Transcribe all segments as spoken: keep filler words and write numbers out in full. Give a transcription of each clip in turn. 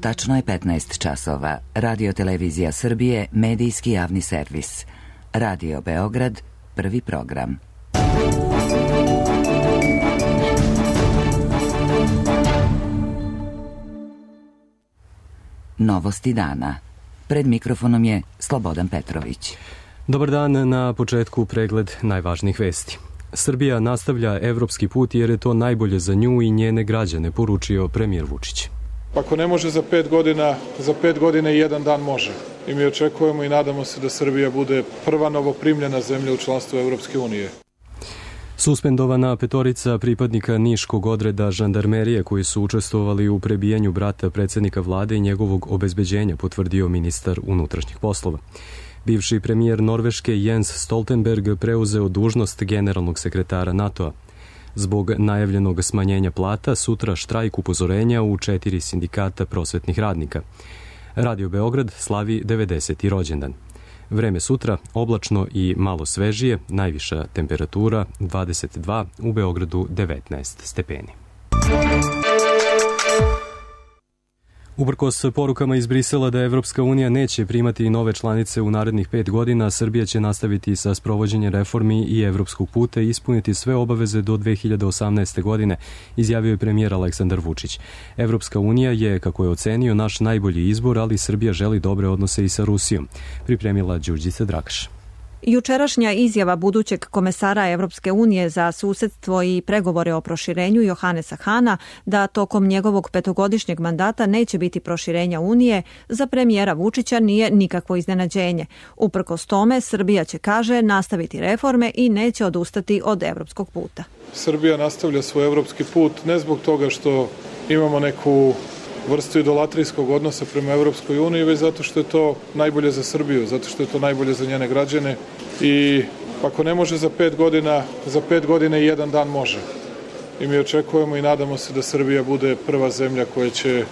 Tačno je petnaest časova. Radio Televizija Srbije, medijski javni servis. Radio Beograd, prvi program. Novosti dana. Pred mikrofonom je Slobodan Petrović. Dobar dan, na početku pregled najvažnijih vesti. Srbija nastavlja evropski put jer je to najbolje za nju i njene građane, poručio premijer Vučić. Ako ne može za pet godina, za pet godina i jedan dan može. I mi očekujemo i nadamo se da Srbija bude prva novoprimljena zemlja u članstvu Evropske unije. Suspendovana petorica pripadnika niškog odreda žandarmerije koji su učestvovali u prebijanju brata predsjednika vlade i njegovog obezbeđenja, potvrdio ministar unutrašnjih poslova. Bivši premijer Norveške Jens Stoltenberg preuzeo dužnost generalnog sekretara NATO-a. Zbog najavljenog smanjenja plata, sutra štrajk upozorenja u četiri sindikata prosvetnih radnika. Radio Beograd slavi devedeseti rođendan. Vreme sutra oblačno i malo svežije, najviša temperatura dvadeset dva, u Beogradu devetnaest stepeni. Uprkos porukama iz Brisela da Evropska unija neće primati nove članice u narednih pet godina, Srbija će nastaviti sa sprovođenjem reformi i evropskog puta i ispuniti sve obaveze do dve hiljade osamnaeste. godine, izjavio je premijer Aleksandar Vučić. Evropska unija je, kako je ocenio, naš najbolji izbor, ali Srbija želi dobre odnose i sa Rusijom, pripremila Đurđica Drakaš. Jučerašnja izjava budućeg komesara Evropske unije za susedstvo i pregovore o proširenju Johanesa Hana da tokom njegovog petogodišnjeg mandata neće biti proširenja Unije za premijera Vučića nije nikakvo iznenađenje. Uprkos tome, Srbija će, kaže, nastaviti reforme i neće odustati od evropskog puta. Srbija nastavlja svoj evropski put ne zbog toga što imamo neku vrstu idolatrijskog odnosa prema Evropskoj uniji, već zato što je to najbolje za Srbiju, zato što je to najbolje za njene građane i ako ne može za pet godina, za pet godina i jedan dan može. I mi očekujemo i nadamo se da Srbija bude prva zemlja koja će,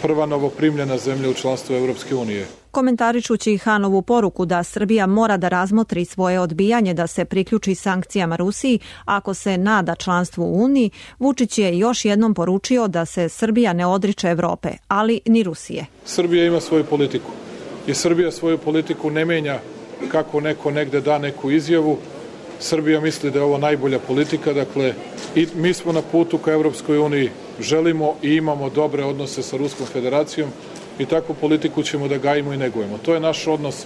prva novoprimljena zemlja u članstvu Evropske unije. Komentarišući Hanovu poruku da Srbija mora da razmotri svoje odbijanje da se priključi sankcijama Rusiji ako se nada članstvu u Uniji, Vučić je još jednom poručio da se Srbija ne odriče Evrope, ali ni Rusije. Srbija ima svoju politiku i Srbija svoju politiku ne menja kako neko negde da neku izjavu. Srbija misli da je ovo najbolja politika, dakle, i mi smo na putu ka Evropskoj uniji, želimo i imamo dobre odnose sa Ruskom federacijom i takvu politiku ćemo da gajimo i negujemo. To je naš odnos,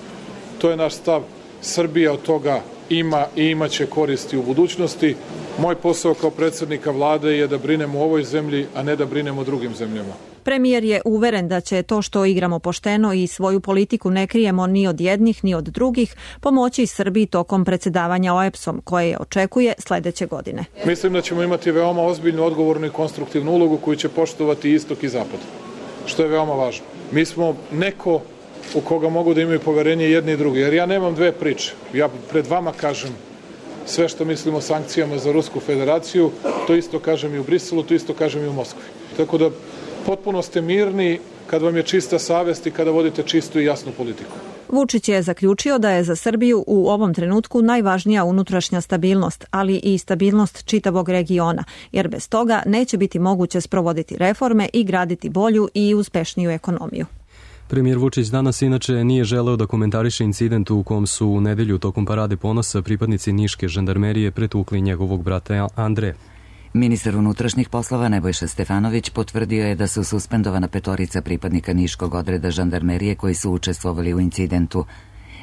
to je naš stav. Srbija od toga ima i imaće koristi u budućnosti. Moj posao kao predsjednika vlade je da brinemo o ovoj zemlji, a ne da brinemo o drugim zemljama. Premijer je uveren da će to što igramo pošteno i svoju politiku ne krijemo ni od jednih ni od drugih pomoći Srbiji tokom predsjedavanja O E B S-om koje očekuje sledeće godine. Mislim da ćemo imati veoma ozbiljnu, odgovornu i konstruktivnu ulogu koju će poštovati istok i zapad, što je veoma važno. Mi smo neko u koga mogu da imaju poverenje jedni i drugi, jer ja nemam dve priče. Ja pred vama kažem sve što mislim o sankcijama za Rusku federaciju, to isto kažem i u Briselu, to isto kažem i u Moskvi. Tako da potpuno ste mirni kad vam je čista savest i kada vodite čistu i jasnu politiku. Vučić je zaključio da je za Srbiju u ovom trenutku najvažnija unutrašnja stabilnost, ali i stabilnost čitavog regiona, jer bez toga neće biti moguće sprovoditi reforme i graditi bolju i uspešniju ekonomiju. Premijer Vučić danas inače nije želeo da komentariše incident u kom su u nedelju tokom parade ponosa pripadnici niške žandarmerije pretukli njegovog brata Andre. Ministar unutrašnjih poslova Nebojša Stefanović potvrdio je da su suspendovana petorica pripadnika niškog odreda žandarmerije koji su učestvovali u incidentu.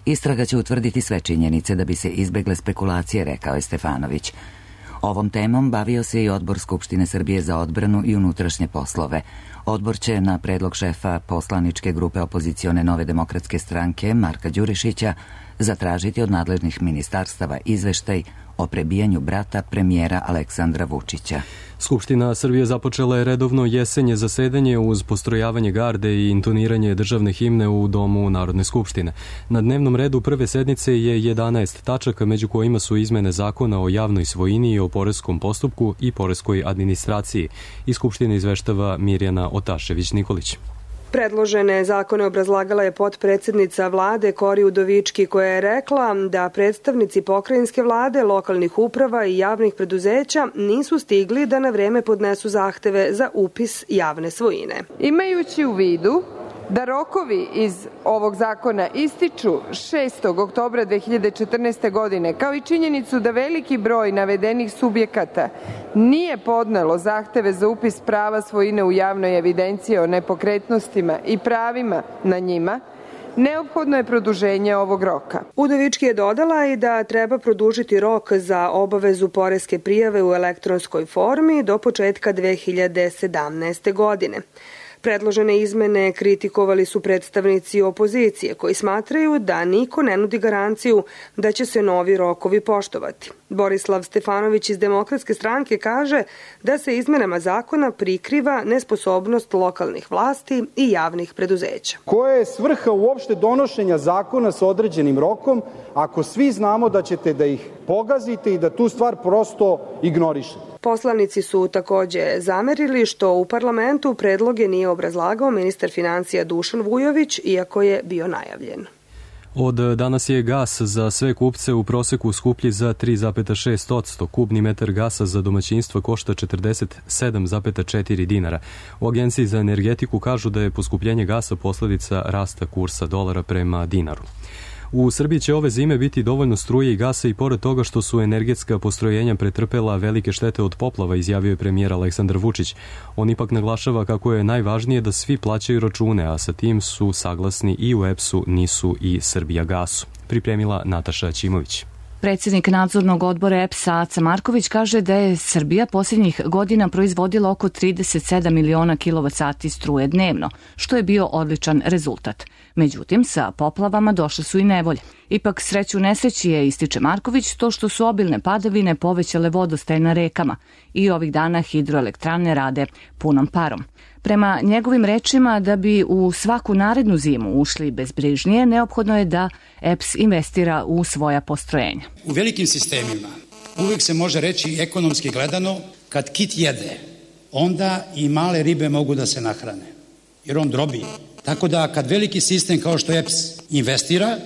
Istraga će utvrditi sve činjenice da bi se izbegle spekulacije, rekao je Stefanović. Ovom temom bavio se i Odbor Skupštine Srbije za odbranu i unutrašnje poslove. Odbor će na predlog šefa poslaničke grupe opozicione Nove demokratske stranke Marka Đurišića zatražiti od nadležnih ministarstava izveštaj o prebijanju brata premijera Aleksandra Vučića. Skupština Srbije započela je redovno jesenje zasedanje uz postrojavanje garde i intoniranje državne himne u Domu Narodne skupštine. Na dnevnom redu prve sednice je jedanaest tačaka, među kojima su izmene zakona o javnoj svojini i o poreskom postupku i poreskoj administraciji. Iz Skupštine izveštava Mirjana Otašević-Nikolić. Predložene zakone obrazlagala je potpredsednica vlade Kori Udovički, koja je rekla da predstavnici pokrajinske vlade, lokalnih uprava i javnih preduzeća nisu stigli da na vreme podnesu zahteve za upis javne svojine. Imajući u vidu da rokovi iz ovog zakona ističu šestog oktobra dve hiljade četrnaeste. godine, kao i činjenicu da veliki broj navedenih subjekata nije podnelo zahteve za upis prava svojine u javnoj evidenciji o nepokretnostima i pravima na njima, neophodno je produženje ovog roka. Udovički je dodala i da treba produžiti rok za obavezu poreske prijave u elektronskoj formi do početka dve hiljade sedamnaeste. godine. Predložene izmene kritikovali su predstavnici opozicije koji smatraju da niko ne nudi garanciju da će se novi rokovi poštovati. Borislav Stefanović iz Demokratske stranke kaže da se izmenama zakona prikriva nesposobnost lokalnih vlasti i javnih preduzeća. Koja je svrha uopšte donošenja zakona sa određenim rokom ako svi znamo da ćete da ih pogazite i da tu stvar prosto ignorišete? Poslanici su takođe zamerili što u parlamentu predloge nije obrazlagao ministar financija Dušan Vujović, iako je bio najavljen. Od danas je gas za sve kupce u proseku skuplji za tri zarez šest posto. Kubni metar gasa za domaćinstvo košta četrdeset sedam zarez četiri dinara. U Agenciji za energetiku kažu da je poskupljenje gasa posledica rasta kursa dolara prema dinaru. U Srbiji će ove zime biti dovoljno struje i gasa i pored toga što su energetska postrojenja pretrpela velike štete od poplava, izjavio je premijer Aleksandar Vučić. On ipak naglašava kako je najvažnije da svi plaćaju račune, a sa tim su saglasni i u E P S-u, NIS-u i Srbijagasu. Pripremila Nataša Ćimović. Predsjednik nadzornog odbora E P S-a Aca Marković kaže da je Srbija posljednjih godina proizvodila oko trideset sedam miliona kilovat sati struje dnevno, što je bio odličan rezultat. Međutim, sa poplavama došle su i nevolje. Ipak sreću nesreći je, ističe Marković, to što su obilne padavine povećale vodostaj na rekama i ovih dana hidroelektrane rade punom parom. Prema njegovim rečima, da bi u svaku narednu zimu ušli bezbrižnije, neophodno je da E P S investira u svoja postrojenja. U velikim sistemima uvijek se može reći ekonomski gledano, kad kit jede, onda i male ribe mogu da se nahrane, jer on drobi. Tako da kad veliki sistem kao što E P S investira,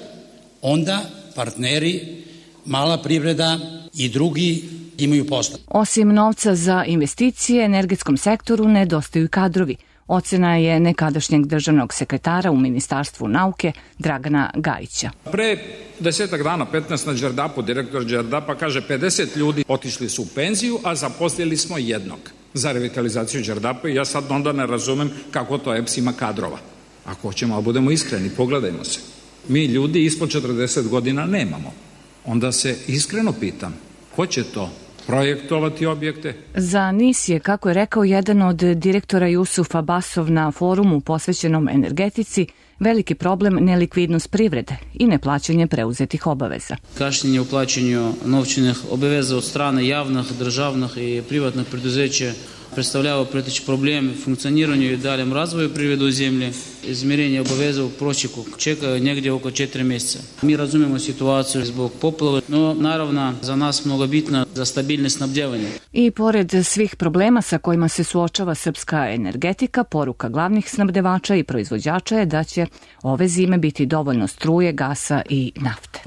onda partneri, mala privreda i drugi imaju posla. Osim novca za investicije, energetskom sektoru nedostaju kadrovi. Ocena je nekadašnjeg državnog sekretara u Ministarstvu nauke Dragana Gajića. Pre desetak dana, petnaest na Đerdapu, direktor Đerdapa kaže pedeset ljudi otišli su u penziju, a zaposlili smo jednog za revitalizaciju Đerdapa i ja sad onda ne razumem kako to E P S ima kadrova. Ako hoćemo, ali budemo iskreni, pogledajmo se. Mi ljudi ispod četrdeset godina nemamo. Onda se iskreno pitam, ko će to projektovati objekte? Za NIS je, kako je rekao jedan od direktora Jusuf Abasov na forumu posvećenom energetici, veliki problem nelikvidnost privrede i neplaćanje preuzetih obaveza. Kašnjenje u plaćanju novčanih obaveza od strane javnih, državnih i privatnih preduzeća predstavljava preteći problem u funkcioniranju i daljem razvoju privrede u zemlji. Izmirenje obaveza u prosjeku čekaju negdje oko četiri mjeseca. Mi razumijemo situaciju zbog poplave, no naravno za nas mnogo bitno za stabilne snabdjevanje. I pored svih problema sa kojima se suočava srpska energetika, poruka glavnih snabdevača i proizvođača je da će ove zime biti dovoljno struje, gasa i nafte.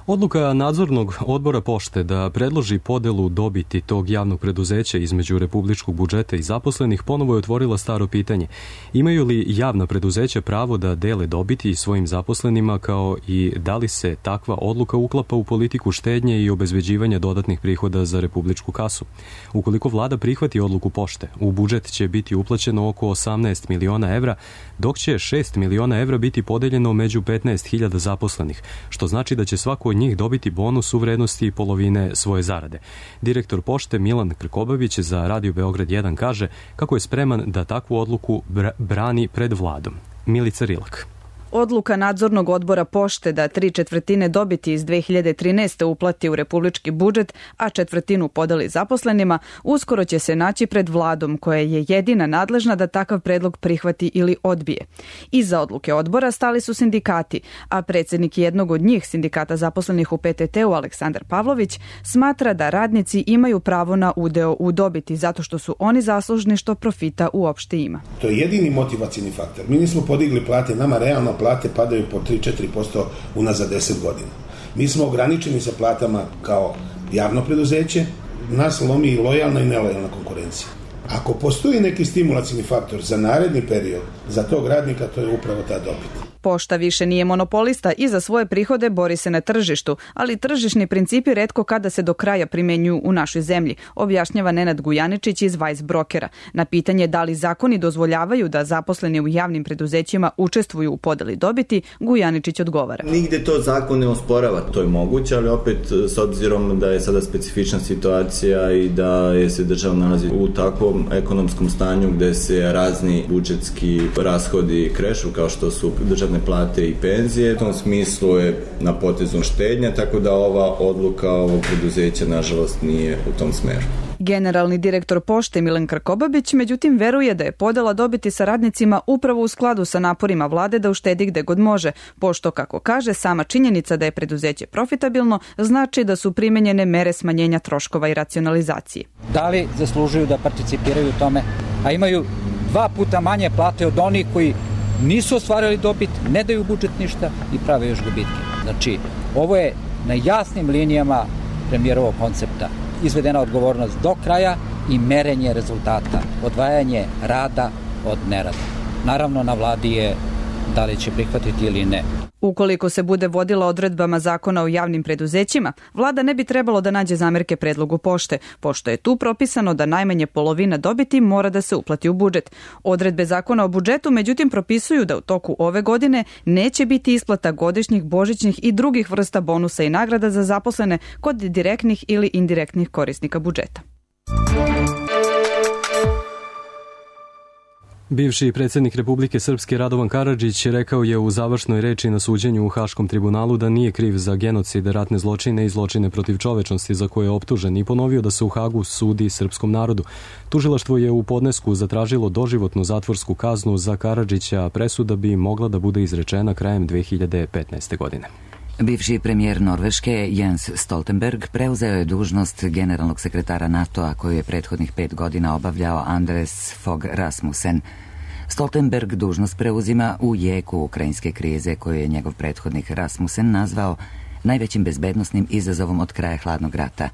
Odluka nadzornog odbora pošte da predloži podelu dobiti tog javnog preduzeća između republičkog budžeta i zaposlenih ponovo je otvorila staro pitanje. Imaju li javna preduzeća pravo da dele dobiti svojim zaposlenima, kao i da li se takva odluka uklapa u politiku štednje i obezbeđivanja dodatnih prihoda za republičku kasu? Ukoliko vlada prihvati odluku pošte, u budžet će biti uplaćeno oko osamnaest miliona evra, dok će šest miliona evra biti podeljeno među petnaest hiljada zaposlenih, što znači da će svako od njih dobiti bonus u vrednosti polovine svoje zarade. Direktor pošte Milan Krkobabić za Radio Beograd jedan kaže kako je spreman da takvu odluku brani pred vladom. Milica Rilak. Odluka nadzornog odbora pošte da tri četvrtine dobiti iz dve hiljade trinaeste. uplati u republički budžet, a četvrtinu podeli zaposlenima, uskoro će se naći pred vladom koja je jedina nadležna da takav predlog prihvati ili odbije. Iza odluke odbora stali su sindikati, a predsjednik jednog od njih, sindikata zaposlenih u P T T-u Aleksandar Pavlović, smatra da radnici imaju pravo na udeo u dobiti zato što su oni zaslužni što profita uopšte ima. To je jedini motivacijni faktor. Mi nismo podigli plate, nama realno plate padaju po tri do četiri posto unazad deset godina. Mi smo ograničeni sa platama kao javno preduzeće, nas lomi i lojalna i nelojalna konkurencija. Ako postoji neki stimulacijni faktor za naredni period, za tog radnika, to je upravo ta dobit. Pošta više nije monopolista i za svoje prihode bori se na tržištu, ali tržišni principi retko kada se do kraja primenjuju u našoj zemlji, objašnjava Nenad Gujaničić iz Vice Brokera. Na pitanje da li zakoni dozvoljavaju da zaposleni u javnim preduzećima učestvuju u podeli dobiti, Gujaničić odgovara. Nigde to zakon ne osporava, to je moguće, ali opet s obzirom da je sada specifična situacija i da je se država nalazi u takvom ekonomskom stanju gde se razni budžetski rashodi krešu kao što su državne plate i penzije. U tom smislu je na potezu štednja, tako da ova odluka ovog preduzeća nažalost nije u tom smeru. Generalni direktor Pošte Milan Krkobabić međutim veruje da je podela dobiti sa radnicima upravo u skladu sa naporima vlade da uštedi gde god može, pošto, kako kaže, sama činjenica da je preduzeće profitabilno znači da su primenjene mere smanjenja troškova i racionalizacije. Da li zaslužuju da participiraju u tome, a imaju dva puta manje plate od onih koji nisu ostvarili dobit, ne daju budžet ništa i prave još gubitke. Znači, ovo je na jasnim linijama premijerovog koncepta. Izvedena odgovornost do kraja i merenje rezultata, odvajanje rada od nerada. Naravno, na vladi je da li će prihvatiti ili ne. Ukoliko se bude vodila odredbama zakona o javnim preduzećima, vlada ne bi trebalo da nađe zamerke predlogu pošte, pošto je tu propisano da najmanje polovina dobiti mora da se uplati u budžet. Odredbe zakona o budžetu međutim propisuju da u toku ove godine neće biti isplata godišnjih, božićnih i drugih vrsta bonusa i nagrada za zaposlene kod direktnih ili indirektnih korisnika budžeta. Bivši predsjednik Republike Srpske Radovan Karadžić rekao je u završnoj reči na suđenju u Haškom tribunalu da nije kriv za genocid, ratne zločine i zločine protiv čovečnosti za koje je optužen i ponovio da se u Hagu sudi srpskom narodu. Tužilaštvo je u podnesku zatražilo doživotnu zatvorsku kaznu za Karadžića, a presuda bi mogla da bude izrečena krajem dve hiljade petnaeste. godine. Bivši premijer Norveške Jens Stoltenberg preuzeo je dužnost generalnog sekretara NATO-a koju je prethodnih pet godina obavljao Anders Fogh Rasmussen. Stoltenberg dužnost preuzima u jeku ukrajinske krize koju je njegov prethodnik Rasmussen nazvao najvećim bezbednosnim izazovom od kraja hladnog rata.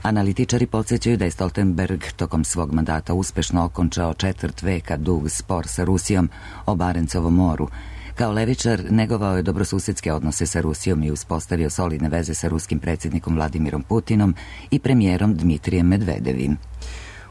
Analitičari podsjećaju da je Stoltenberg tokom svog mandata uspešno okončao četvrt veka dug spor sa Rusijom o Barencovom moru. Kao levičar negovao je dobrosusedske odnose sa Rusijom i uspostavio solidne veze sa ruskim predsjednikom Vladimirom Putinom i premijerom Dmitrijem Medvedevim.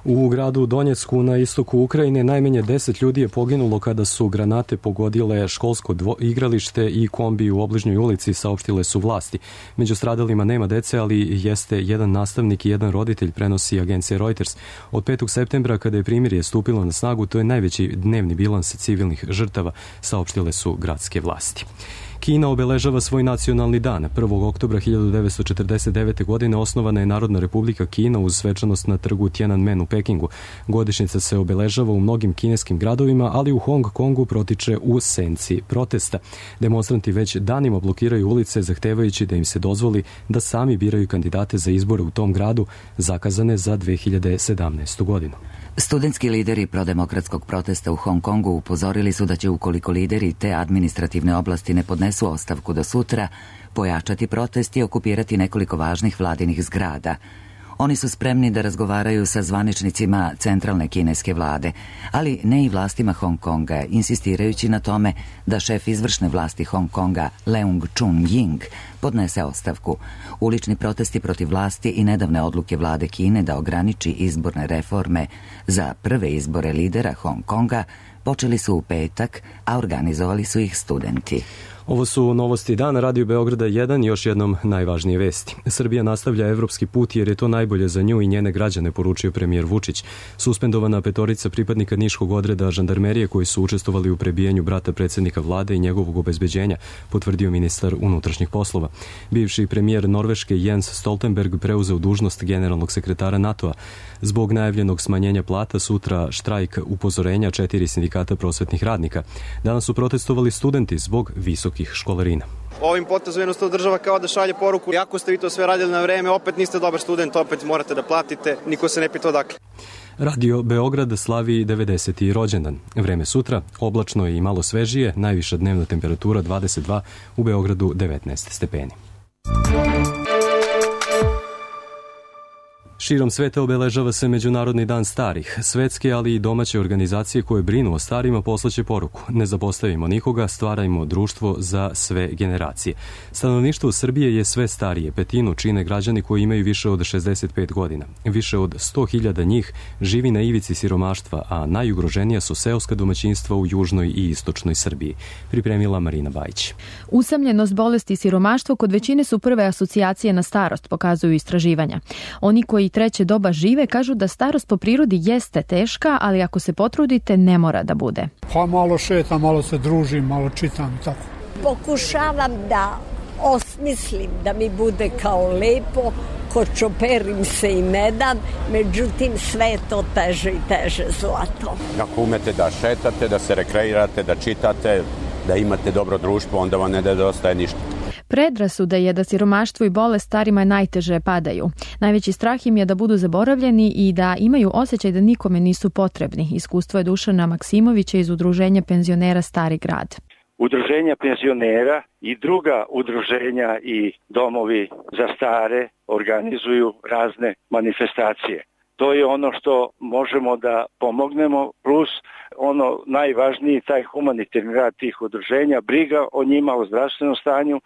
U gradu Donjecku na istoku Ukrajine najmanje deset ljudi je poginulo kada su granate pogodile školsko dvo- igralište i kombi u obližnjoj ulici, saopštile su vlasti. Među stradalima nema dece, ali jeste jedan nastavnik i jedan roditelj, prenosi agencija Reuters. Od petog septembra, kada je primirje stupilo na snagu, to je najveći dnevni bilans civilnih žrtava, saopštile su gradske vlasti. Kina obeležava svoj nacionalni dan. prvog oktobra hiljadu devetsto četrdeset devete. godine osnovana je Narodna republika Kina uz svečanost na trgu Tiananmen u Pekingu. Godišnjica se obeležava u mnogim kineskim gradovima, ali u Hong Kongu protiče u senci protesta. Demonstranti već danima blokiraju ulice zahtevajući da im se dozvoli da sami biraju kandidate za izbore u tom gradu, zakazane za dve hiljade sedamnaestu. godinu. Studentski lideri prodemokratskog protesta u Hong Kongu upozorili su da će, ukoliko lideri te administrativne oblasti ne podnesu ostavku do sutra, pojačati protest i okupirati nekoliko važnih vladinih zgrada. Oni su spremni da razgovaraju sa zvaničnicima centralne kineske vlade, ali ne i vlastima Hong Konga, insistirajući na tome da šef izvršne vlasti Hong Konga, Leung Chun-ying, podnese ostavku. Ulični protesti protiv vlasti i nedavne odluke vlade Kine da ograniči izborne reforme za prve izbore lidera Hong Konga počeli su u petak, a organizovali su ih studenti. Ovo su novosti dana, Radio Beograda jedan i još jednom najvažnije vesti. Srbija nastavlja evropski put jer je to najbolje za nju i njene građane, poručio premijer Vučić. Suspendovana petorica pripadnika niškog odreda žandarmerije koji su učestvovali u prebijanju brata predsjednika vlade i njegovog obezbeđenja, potvrdio ministar unutrašnjih poslova. Bivši premijer Norveške Jens Stoltenberg preuzeo dužnost generalnog sekretara NATO-a. Zbog najavljenog smanjenja plata sutra štrajk upozorenja četiri sindikata prosvetnih radnika. Danas su protestovali studenti zbog visokih školarina. Ovim potezom jednostavno država kao da šalje poruku, ako ste vi to sve radili na vreme, opet niste dobar student, opet morate da platite, niko se ne pita odakle. Radio Beograd slavi devedeseti rođendan. Vreme sutra, oblačno i malo svežije, najviša dnevna temperatura dvadeset dva, u Beogradu devetnaest stepeni. Širom sveta obeležava se Međunarodni dan starih. Svetske, ali i domaće organizacije koje brinu o starima poslaće poruku. Ne zapostavimo nikoga, stvarajmo društvo za sve generacije. Stanovništvo Srbije je sve starije. Petinu čine građani koji imaju više od šezdeset pet godina. Više od sto hiljada njih živi na ivici siromaštva, a najugroženija su seoska domaćinstva u južnoj i istočnoj Srbiji. Pripremila Marina Bajić. Usamljenost, bolesti i siromaštvo kod većine su prve asocijacije na starost, pokazuju istraživanja. Oni koji treće doba žive kažu da starost po prirodi jeste teška, ali ako se potrudite ne mora da bude. Pa malo šetam, malo se družim, malo čitam i tako. Pokušavam da osmislim da mi bude kao lepo, kočoperim se i ne dam, međutim sve je to teže i teže zlato. Ako umete da šetate, da se rekreirate, da čitate, da imate dobro društvo, onda vam ne nedostaje ništa. Predrasuda je da siromaštvo i bolest starima najteže padaju. Najveći strah im je da budu zaboravljeni i da imaju osjećaj da nikome nisu potrebni. Iskustvo je Dušana Maksimovića iz Udruženja penzionera Stari grad. Udruženja penzionera i druga udruženja i domovi za stare organizuju razne manifestacije. To je ono što možemo da pomognemo, plus ono najvažniji, taj humanitarni rad tih udruženja, briga o njima, o zdravstvenom stanju,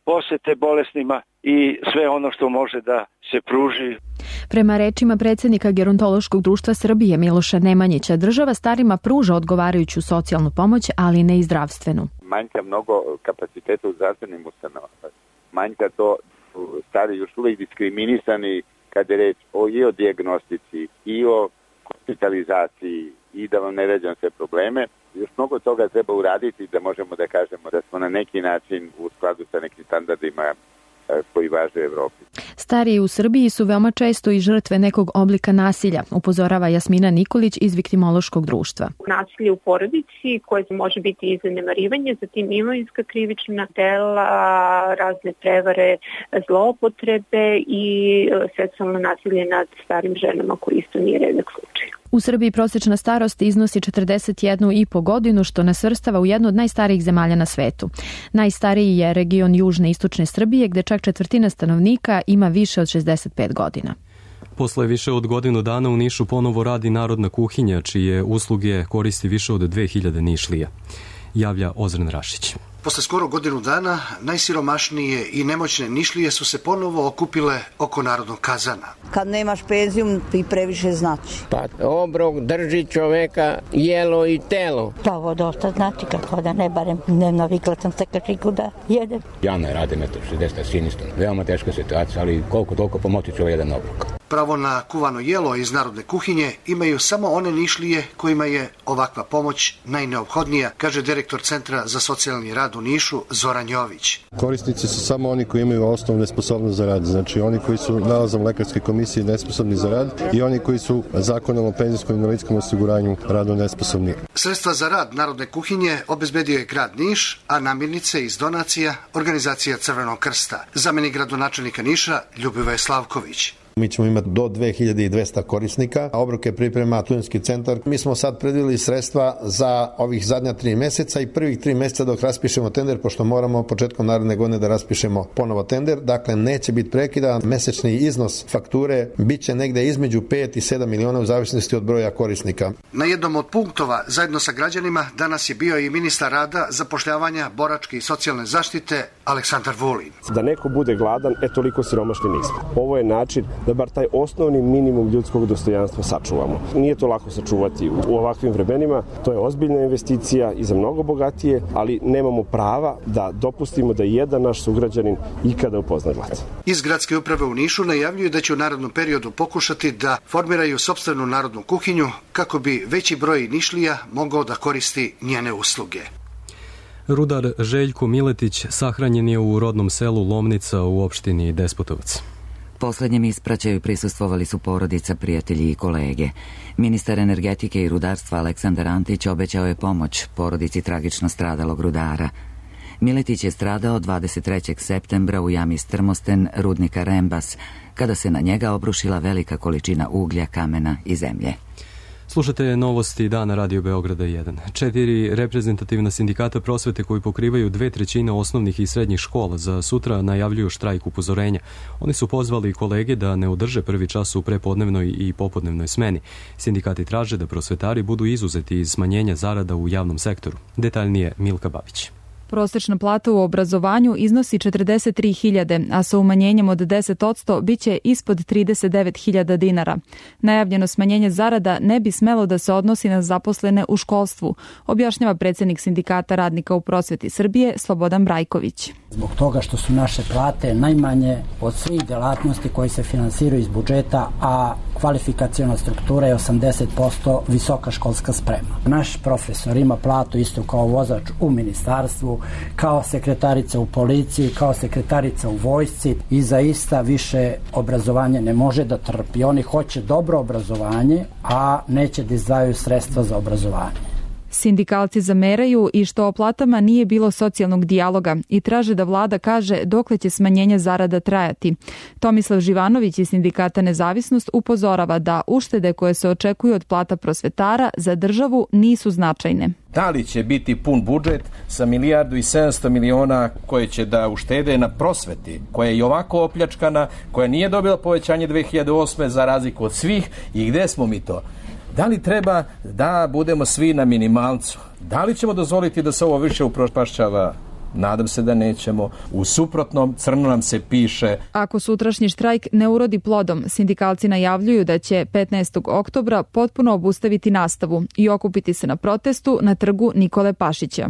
posete bolesnima i sve ono što može da se pruži. Prema rečima predsjednika Gerontološkog društva Srbije Miloša Nemanjića, država starima pruža odgovarajuću socijalnu pomoć, ali ne i zdravstvenu. Manjka mnogo kapaciteta u zdravstvenim ustanovama. Manjka to, stari još uvijek diskriminisani kad je reč o, i o dijagnostici, i o hospitalizaciji, i da vam ne ređam sve probleme. Još mnogo toga treba uraditi da možemo da kažemo da smo na neki način u skladu sa nekim standardima koji važe u Evropi. Stariji u Srbiji su veoma često i žrtve nekog oblika nasilja, upozorava Jasmina Nikolić iz Viktimološkog društva. Nasilje u porodici koje može biti i zanemarivanje, zatim imovinska krivična dela, razne prevare, zloupotrebe i seksualno nasilje nad starim ženama koji isto nije redak slučaj. U Srbiji prosječna starost iznosi četrdeset jednu i po godinu, što nas svrstava u jednu od najstarijih zemalja na svetu. Najstariji je region južne i istočne Srbije, gde čak četvrtina stanovnika ima više od šezdeset pet godina. Posle više od godinu dana u Nišu ponovo radi Narodna kuhinja, čije usluge koristi više od dve hiljade Nišlija. Javlja Ozren Rašić. Posle skoro godinu dana, najsiromašnije i nemoćne Nišlije su se ponovo okupile oko Narodnog kazana. Kad nemaš penziju, ti previše znači. Pa obrok drži čoveka jelo i telo. Pa ovo dosta znači, kako da ne barem ne navikla sam se kačiku da jedem. Ja ne radim, eto, šezdeset sinistom. Veoma teška situacija, ali koliko toliko pomoći će ovaj jedan obrok. Pravo na kuvano jelo iz Narodne kuhinje imaju samo one Nišlije kojima je ovakva pomoć najneophodnija, kaže direktor Centra za socijalni rad u Nišu Zoran Jović. Korisnici su samo oni koji imaju osnovne sposobnost za rad, znači oni koji su nalazom lekarske komisije nesposobni za rad i oni koji su zakonom o penzijskom i invalidskom osiguranju radno nesposobni. Sredstva za rad Narodne kuhinje obezbedio je grad Niš, a namirnice iz donacija organizacija Crvenog krsta. Zamenik gradonačelnika Niša Ljubivoje Slavković. Mi ćemo imati do dve hiljade dvesta korisnika, a obroke priprema studentski centar. Mi smo sad predvideli sredstva za ovih zadnja tri meseca i prvih tri meseca dok raspišemo tender, pošto moramo početkom naredne godine da raspišemo ponovo tender. Dakle, neće biti prekida. Mesečni iznos fakture biće negde između pet i sedam miliona u zavisnosti od broja korisnika. Na jednom od punktova zajedno sa građanima danas je bio i ministar rada, zapošljavanja, boračke i socijalne zaštite Aleksandar Vulin. Da neko bude gladan, e toliko siromašni nismo. Ovo je način da bar taj osnovni minimum ljudskog dostojanstva sačuvamo. Nije to lako sačuvati u ovakvim vremenima, to je ozbiljna investicija i za mnogo bogatije, ali nemamo prava da dopustimo da jedan naš sugrađanin ikada upozna glad. Iz gradske uprave u Nišu najavljuju da će u narednom periodu pokušati da formiraju sopstvenu narodnu kuhinju kako bi veći broj Nišlija mogao da koristi njene usluge. Rudar Željko Miletić sahranjen je u rodnom selu Lomnica u opštini Despotovac. Poslednjem ispraćaju prisustvovali su porodica, prijatelji i kolege. Ministar energetike i rudarstva Aleksandar Antić obećao je pomoć porodici tragično stradalog rudara. Miletić je stradao dvadeset trećeg septembra u jami Strmosten rudnika Rembas, kada se na njega obrušila velika količina uglja, kamena i zemlje. Slušate novosti dana Radio Beograda jedan. Četiri reprezentativna sindikata prosvete koji pokrivaju dve trećine osnovnih i srednjih škola za sutra najavljuju štrajk upozorenja. Oni su pozvali kolege da ne održe prvi čas u prepodnevnoj i popodnevnoj smeni. Sindikati traže da prosvetari budu izuzeti iz smanjenja zarada u javnom sektoru. Detaljnije Milka Babić. Prosečna plata u obrazovanju iznosi četrdeset tri hiljade, a sa umanjenjem od deset posto biće ispod trideset devet hiljada dinara. Najavljeno smanjenje zarada ne bi smelo da se odnosi na zaposlene u školstvu, objašnjava predsjednik Sindikata radnika u prosveti Srbije Slobodan Brajković. Zbog toga što su naše plate najmanje od svih delatnosti koji se finansiraju iz budžeta, a kvalifikaciona struktura je osamdeset posto visoka školska sprema. Naš profesor ima platu isto kao vozač u ministarstvu, kao sekretarica u policiji, kao sekretarica u vojsci i zaista više obrazovanje ne može da trpi. Oni hoće dobro obrazovanje, a neće da izdvajaju sredstva za obrazovanje. Sindikalci zameraju i što o platama nije bilo socijalnog dijaloga i traže da vlada kaže dokle će smanjenje zarada trajati. Tomislav Živanović iz Sindikata Nezavisnost upozorava da uštede koje se očekuju od plata prosvetara za državu nisu značajne. Da li će biti pun budžet sa milijardu i sedamsto miliona koje će da uštede na prosveti, koja je i ovako opljačkana, koja nije dobila povećanje dve hiljade osme za razliku od svih, i gde smo mi to? Da li treba da budemo svi na minimalcu? Da li ćemo dozvoliti da se ovo više upropašćava? Nadam se da nećemo. U suprotnom, crno nam se piše. Ako sutrašnji štrajk ne urodi plodom, sindikalci najavljuju da će petnaestog oktobra potpuno obustaviti nastavu i okupiti se na protestu na trgu Nikole Pašića.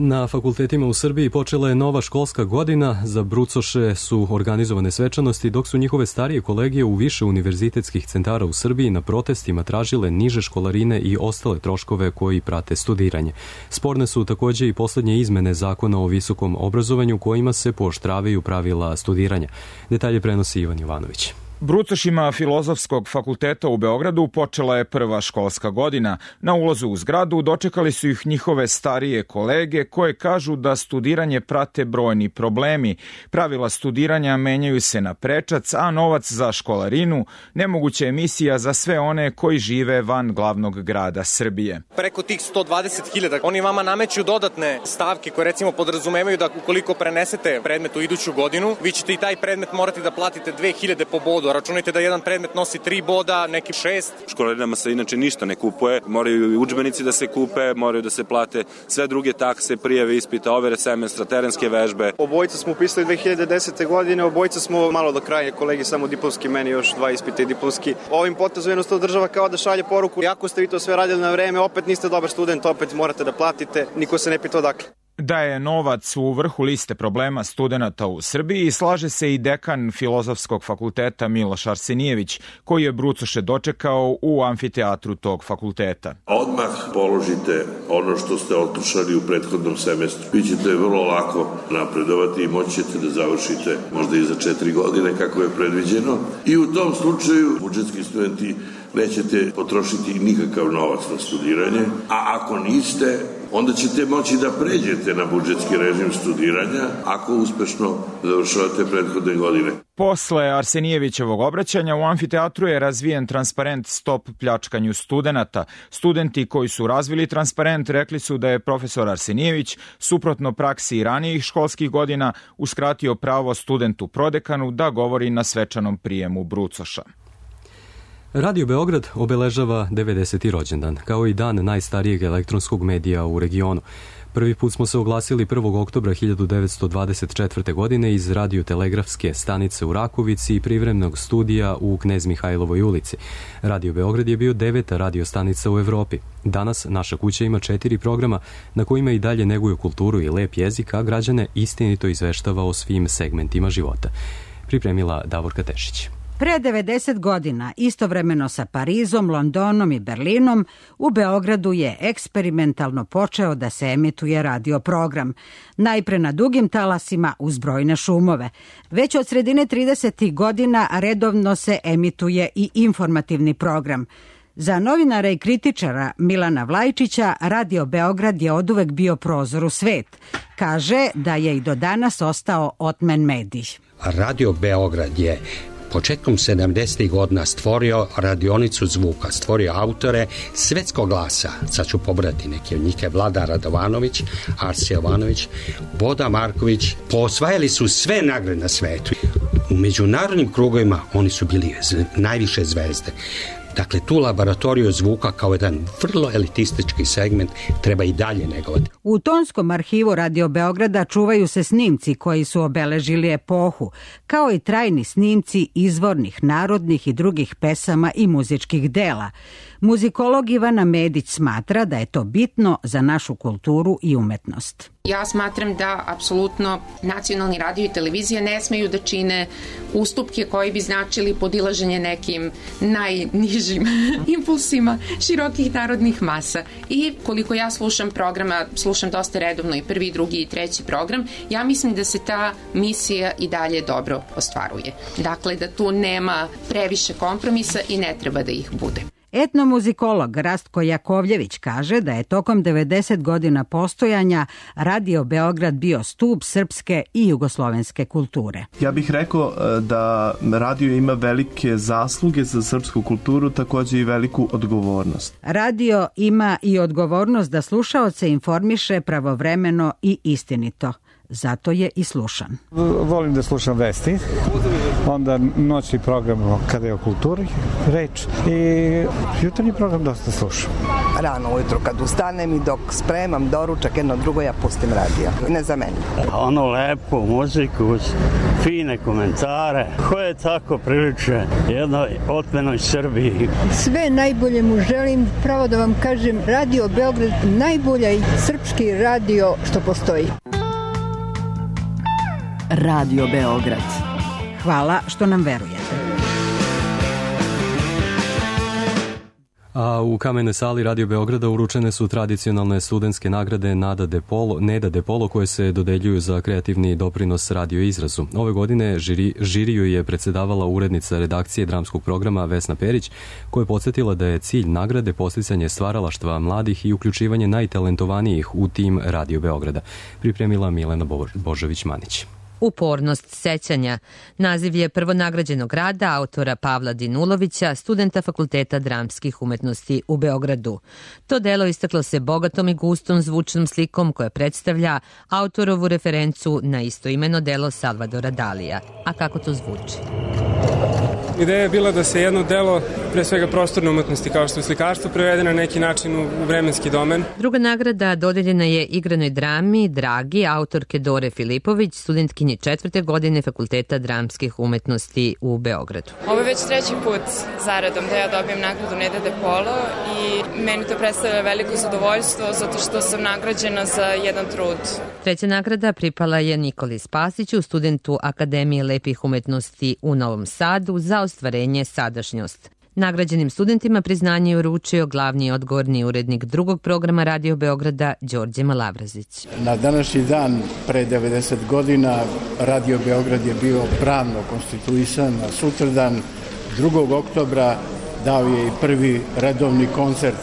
Na fakultetima u Srbiji počela je nova školska godina. Za brucoše su organizovane svečanosti, dok su njihove starije kolegije u više univerzitetskih centara u Srbiji na protestima tražile niže školarine i ostale troškove koji prate studiranje. Sporne su također i posljednje izmene zakona o visokom obrazovanju kojima se pooštravaju pravila studiranja. Detalje prenosi Ivan Jovanović. Brucošima Filozofskog fakulteta u Beogradu počela je prva školska godina. Na ulazu u zgradu dočekali su ih njihove starije kolege koje kažu da studiranje prate brojni problemi. Pravila studiranja menjaju se na prečac, a novac za školarinu nemoguća emisija za sve one koji žive van glavnog grada Srbije. Preko tih sto dvadeset hiljada oni vama nameću dodatne stavke koje recimo podrazumevaju da ukoliko prenesete predmet u iduću godinu, vi ćete i taj predmet morati da platite dve hiljade po bodu. Računajte da jedan predmet nosi tri boda, neki šest. Školarinama se inače ništa ne kupuje, moraju i udžbenici da se kupe, moraju da se plate sve druge takse, prijave ispita, overe semestra, terenske vežbe. Obojica smo upisali dve hiljade desete. godine, obojica smo malo do kraja, kolegi samo diplomski, meni još dva ispita i diplomski. Ovim potezom jednostavno država kao da šalje poruku, ako ste vi to sve radili na vreme, opet niste dobar student, opet morate da platite, niko se ne pita odakle. Da je novac u vrhu liste problema studenata u Srbiji, slaže se i dekan Filozofskog fakulteta Miloš Arsenijević, koji je brucoše dočekao u amfiteatru tog fakulteta. Odmah položite ono što ste otršali u prethodnom semestru. Vi ćete vrlo lako napredovati i moći ćete da završite možda i za četiri godine kako je predviđeno. I u tom slučaju budžetski studenti nećete potrošiti nikakav novac na studiranje, a ako niste, onda ćete moći da pređete na budžetski režim studiranja ako uspešno završavate prethodne godine. Posle Arsenijevićevog obraćanja u amfiteatru je razvijen transparent Stop pljačkanju studenata. Studenti koji su razvili transparent rekli su da je profesor Arsenijević, suprotno praksi ranijih školskih godina, uskratio pravo studentu prodekanu da govori na svečanom prijemu brucoša. Radio Beograd obeležava devedeseti rođendan, kao i dan najstarijeg elektronskog medija u regionu. Prvi put smo se oglasili prvog oktobra hiljadu devetsto dvadeset četvrte. godine iz radiotelegrafske stanice u Rakovici i privremenog studija u Knez Mihajlovoj ulici. Radio Beograd je bio deveta radiostanica u Evropi. Danas naša kuća ima četiri programa na kojima i dalje neguju kulturu i lep jezik, a građane istinito izveštava o svim segmentima života. Pripremila Davorka Tešić. Pre devedeset godina, istovremeno sa Parizom, Londonom i Berlinom, u Beogradu je eksperimentalno počeo da se emituje radio program. Najpre na dugim talasima uz brojne šumove. Već od sredine tridesetih godina redovno se emituje i informativni program. Za novinara i kritičara Milana Vlajčića, Radio Beograd je oduvek bio prozor u svet. Kaže da je i do danas ostao otmen medij. Radio Beograd je početkom sedamdesetih godina stvorio radionicu zvuka, stvorio autore svetskog glasa. Sad ću pobrati neke od njih, Vlada Radovanović, Arsi Jovanović, Boda Marković. Posvajali su sve nagrade na svetu. U međunarodnim krugovima oni su bili najviše zvezde. Dakle, tu laboratoriju zvuka kao jedan vrlo elitistički segment treba i dalje negovati. U tonskom arhivu Radio Beograda čuvaju se snimci koji su obeležili epohu, kao i trajni snimci izvornih, narodnih i drugih pesama i muzičkih dela. Muzikolog Ivana Medić smatra da je to bitno za našu kulturu i umetnost. Ja smatram da apsolutno nacionalni radio i televizija ne smeju da čine ustupke koji bi značili podilaženje nekim najnižim impulsima širokih narodnih masa. I koliko ja slušam programa, slušam dosta redovno i prvi, drugi i treći program, ja mislim da se ta misija i dalje dobro ostvaruje. Dakle, da tu nema previše kompromisa i ne treba da ih bude. Etnomuzikolog Rastko Jakovljević kaže da je tokom devedeset godina postojanja Radio Beograd bio stub srpske i jugoslovenske kulture. Ja bih rekao da radio ima velike zasluge za srpsku kulturu, takođe i veliku odgovornost. Radio ima i odgovornost da slušaoce informiše pravovremeno i istinito. Zato je i slušan. Volim da slušam vesti, onda noćni program kada je o kulturi reč i jutarnji program dosta slušam. Rano ujutro kad ustanem i dok spremam doručak jedno drugo ja pustim radio. Ne za mene. Ono lepo, muziku, fine komentare, koje tako priliče jednoj otmenoj Srbiji. Sve najbolje mu želim, pravo da vam kažem, Radio Beograd najbolja i srpski radio što postoji. Radio Beograd. Hvala što nam verujete. A u Kamenoj sali Radio Beograda uručene su tradicionalne studentske nagrade Nada De Polo, Neda De Polo koje se dodeljuju za kreativni doprinos radio izrazu. Ove godine žiri, žiriju je predsedavala urednica redakcije dramskog programa Vesna Perić, koja je podsjetila da je cilj nagrade posticanje stvaralaštva mladih i uključivanje najtalentovanijih u tim Radio Beograda. Pripremila Milena Božović-Manić. Upornost sećanja. Naziv je prvonagrađenog rada autora Pavla Dinulovića, studenta Fakulteta dramskih umetnosti u Beogradu. To delo istaklo se bogatom i gustom zvučnom slikom koja predstavlja autorovu referencu na istoimeno delo Salvadora Dalija. A kako to zvuči? Ideja je bila da se jedno delo, pre svega prostorne umetnosti kao što je slikarstvo, prevede na neki način u vremenski domen. Druga nagrada dodeljena je igranoj drami Dragi, autorke Dore Filipović, studentkinje četvrte godine Fakulteta dramskih umetnosti u Beogradu. Ovo je već treći put zaredom da ja dobijem nagradu Neda De Polo i meni to predstavlja veliko zadovoljstvo zato što sam nagrađena za jedan trud. Treća nagrada pripala je Nikoli Spasiću, studentu Akademije lepih umetnosti u Novom Sadu za ostvarenje sadašnjost. Nagrađenim studentima priznanje je uručio glavni odgovorni urednik drugog programa Radio Beograda Đorđe Malavrazić. Na današnji dan pre devedeset godina Radio Beograd je bio pravno konstituisan, a sutradan drugog oktobra dao je i prvi redovni koncert.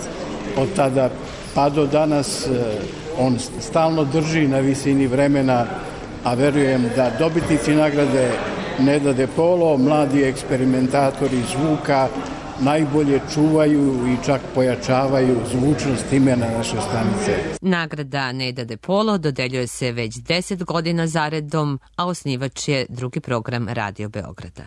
Od tada pa do danas on stalno drži na visini vremena, a verujem da dobitnici nagrade Neda De Polo, mladi eksperimentatori zvuka, najbolje čuvaju i čak pojačavaju zvučnost imena naše stanice. Nagrada Neda De Polo dodeljuje se već deset godina zaredom, a osnivač je drugi program Radio Beograda.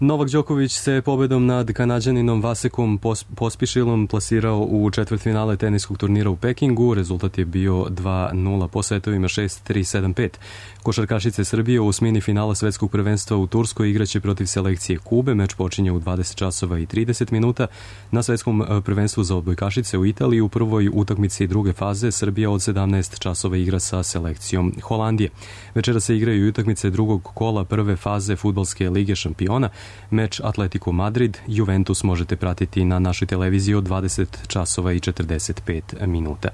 Novak Đoković se pobedom nad Kanađaninom Vasekom Pospišilom plasirao u četvrtfinale teniskog turnira u Pekingu. Rezultat je bio dva nula po setovima šest tri sedam pet. Košarkašice Srbije u osmini finala svetskog prvenstva u Turskoj igraće protiv selekcije Kube. Meč počinje u dvadeset časova i trideset minuta. Na svetskom prvenstvu za odbojkašice u Italiji u prvoj utakmici druge faze Srbija od sedamnaest časova igra sa selekcijom Holandije. Večera se igraju i utakmice drugog kola prve faze Fudbalske lige šampiona. Meč Atletico Madrid Juventus možete pratiti na našoj televiziji od dvadeset časova i četrdeset pet minuta.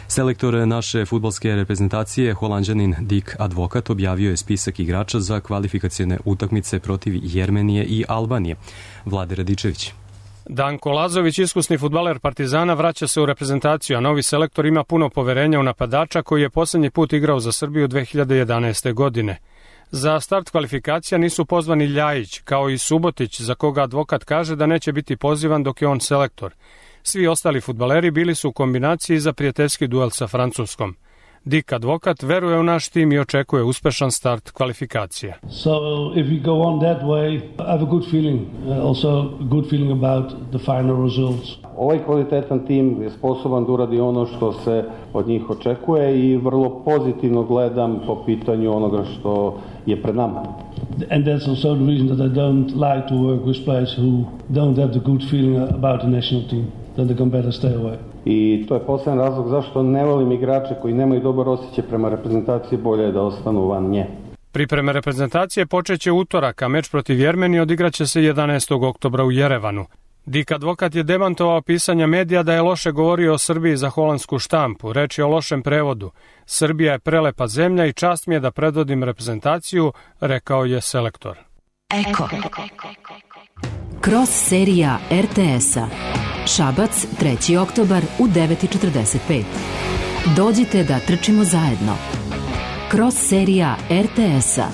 Selektor naše fudbalske reprezentacije, Holanđanin Dick Advokat, objavio je spisak igrača za kvalifikacione utakmice protiv Jermenije i Albanije. Vlade Radičević. Danko Lazović, iskusni fudbaler Partizana, vraća se u reprezentaciju, a novi selektor ima puno poverenja u napadača koji je poslednji put igrao za Srbiju dve hiljade jedanaeste. godine. Za start kvalifikacija nisu pozvani Ljajić, kao i Subotić, za koga Advokat kaže da neće biti pozivan dok je on selektor. Svi ostali fudbaleri bili su u kombinaciji za prijateljski duel sa Francuskom. Dick Advokat veruje u naš tim i očekuje uspešan start kvalifikacije. So if we go on that way, I have a good feeling, also good feeling about the final results. Ovaj kvalitetan tim je sposoban da uradi ono što se od njih očekuje i vrlo pozitivno gledam po pitanju onoga što je pred nama. And that's also the reason that I don't like to work with players who don't have the good feeling about the national team. Then they can better stay away. I to je posebno razlog zašto ne volim igrače koji nemaju dobar osjećaj prema reprezentaciji, bolje da ostanu van nje. Pripreme reprezentacije počeće utorak, a meč protiv Jermenije odigraće se jedanaestog oktobra u Jerevanu. Dick Advokat je demantovao pisanja medija da je loše govorio o Srbiji za holandsku štampu. Reč je o lošem prevodu. Srbija je prelepa zemlja i čast mi je da predvodim reprezentaciju, rekao je selektor. Eko. Cross serija er te es-a. Šabac, treći oktobar u devet četrdeset pet. Dođite da trčimo zajedno. Cross serija er te es-a.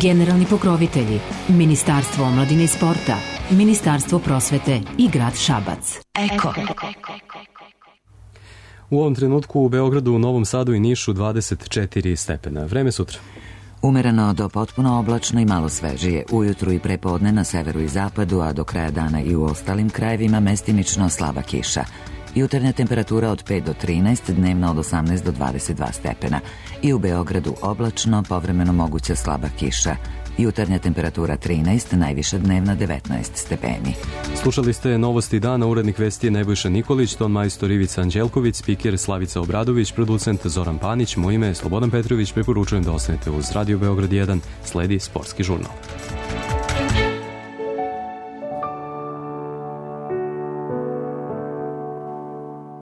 Generalni pokrovitelji Ministarstvo omladine i sporta, Ministarstvo prosvete i grad Šabac. Eko. U ovom trenutku u Beogradu, u Novom Sadu i Nišu dvadeset četiri stepena. Vreme sutra. Umereno do potpuno oblačno i malo svežije. Ujutru i prepodne na severu i zapadu, a do kraja dana i u ostalim krajevima mestimično slaba kiša. Jutarnja temperatura od pet do trinaest, dnevna od osamnaest do dvadeset dva stepena. I u Beogradu oblačno, povremeno moguća slaba kiša. Jutarnja temperatura trinaest, najviša dnevna devetnaest stepeni. Slušali ste Novosti dana, urednik vesti Nebojša Nikolić, ton majstor Ivica Anđelković, spiker Slavica Obradović, producent Zoran Panić, moje ime je Slobodan Petrović, preporučujem da ostanete uz Radio Beograd jedan, sledi sportski žurnal.